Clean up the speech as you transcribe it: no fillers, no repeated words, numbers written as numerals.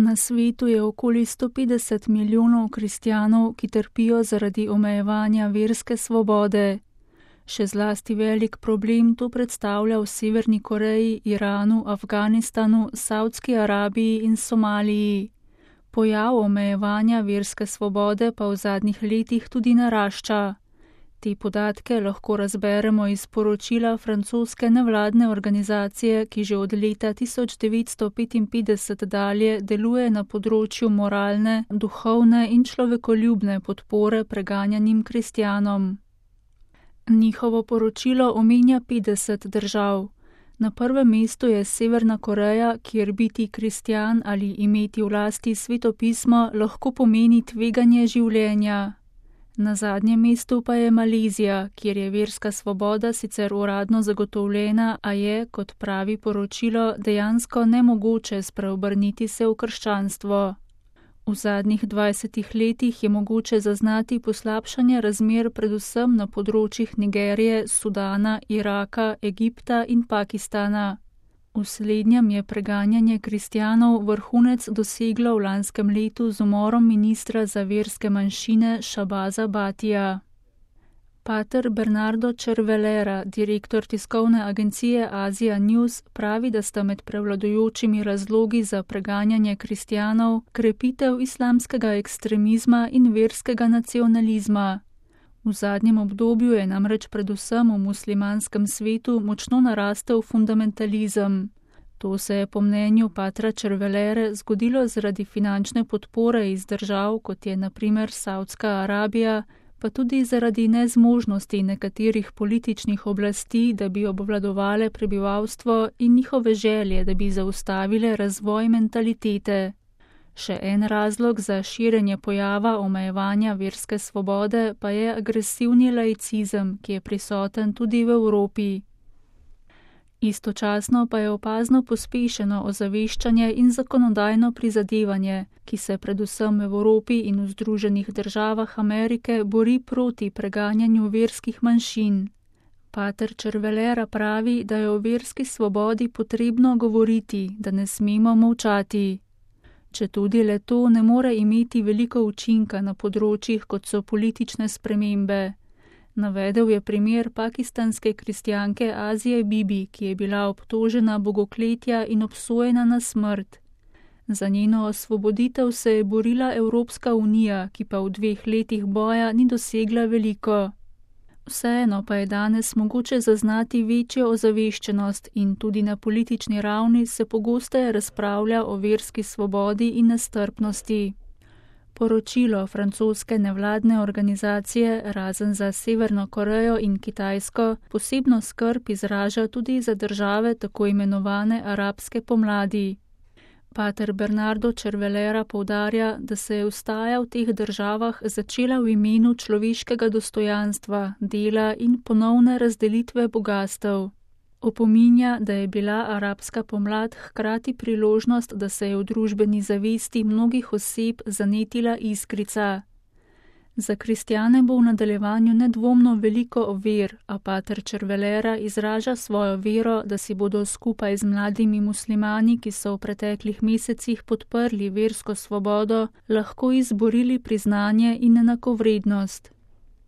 Na svetu je okoli 150 milijonov kristjanov, ki trpijo zaradi omejevanja verske svobode. Še zlasti velik problem to predstavlja v Severni Koreji, Iranu, Afganistanu, Savdski Arabiji in Somaliji. Pojav omejevanja verske svobode pa v zadnjih letih tudi narašča. Te podatke lahko razberemo iz poročila francoske nevladne organizacije, ki že od leta 1955 dalje deluje na področju moralne, duhovne in človekoljubne podpore preganjanim kristjanom. Njihovo poročilo omenja 50 držav. Na prvem mestu je Severna Koreja, kjer biti kristjan ali imeti v lasti svetopismo lahko pomeni tveganje življenja. Na zadnjem mestu pa je Malezija, kjer je verska svoboda sicer uradno zagotovljena, a je, kot pravi poročilo, dejansko nemogoče spreobrniti se v krščanstvo. V zadnjih 20 letih je mogoče zaznati poslabšanje razmer predvsem na področjih Nigerije, Sudana, Iraka, Egipta in Pakistana. V slednjem je preganjanje kristjanov vrhunec doseglo v lanskem letu z umorom ministra za verske manjšine Šabaza Batija. Pater Bernardo Cervelera, direktor tiskovne agencije Asia News, pravi, da sta med prevladujočimi razlogi za preganjanje kristjanov krepitev islamskega ekstremizma in verskega nacionalizma. V zadnjem obdobju je namreč predvsem v muslimanskem svetu močno narastel fundamentalizem. To se je po mnenju patra Cervelere zgodilo zaradi finančne podpore iz držav, kot je na primer Savdska Arabija, pa tudi zaradi nezmožnosti nekaterih političnih oblasti, da bi obvladovale prebivalstvo in njihove želje, da bi zaustavile razvoj mentalitete. Še en razlog za širjenje pojava omejevanja verske svobode pa je agresivni laicizem, ki je prisoten tudi v Evropi. Istočasno pa je opazno pospešeno ozaveščanje in zakonodajno prizadevanje, ki se predvsem v Evropi in v Združenih državah Amerike bori proti preganjanju verskih manjšin. Pater Cervelera pravi, da je o verski svobodi potrebno govoriti, da ne smemo molčati. Četudi le to ne more imeti veliko učinka na področjih, kot so politične spremembe. Navedel je primer pakistanske kristjanke Azije Bibi, ki je bila obtožena bogokletja in obsojena na smrt. Za njeno osvoboditev se je borila Evropska unija, ki pa v 2 letih boja ni dosegla veliko. Vseeno pa je danes mogoče zaznati večjo ozaveščenost in tudi na politični ravni se pogosteje razpravlja o verski svobodi in nestrpnosti. Poročilo francoske nevladne organizacije, razen za Severno Korejo in Kitajsko, posebno skrb izraža tudi za države tako imenovane arabske pomladi. Pater Bernardo Cervelera poudarja, da se je vstaja v teh državah začela v imenu človeškega dostojanstva, dela in ponovne razdelitve bogastev. Opominja, da je bila arabska pomlad hkrati priložnost, da se je v družbeni zavesti mnogih oseb zanetila iskrica. Za kristjane bo v nadaljevanju nedvomno veliko ovir, a pater Cervelera izraža svojo vero, da si bodo skupaj z mladimi muslimani, ki so v preteklih mesecih podprli versko svobodo, lahko izborili priznanje in enakovrednost.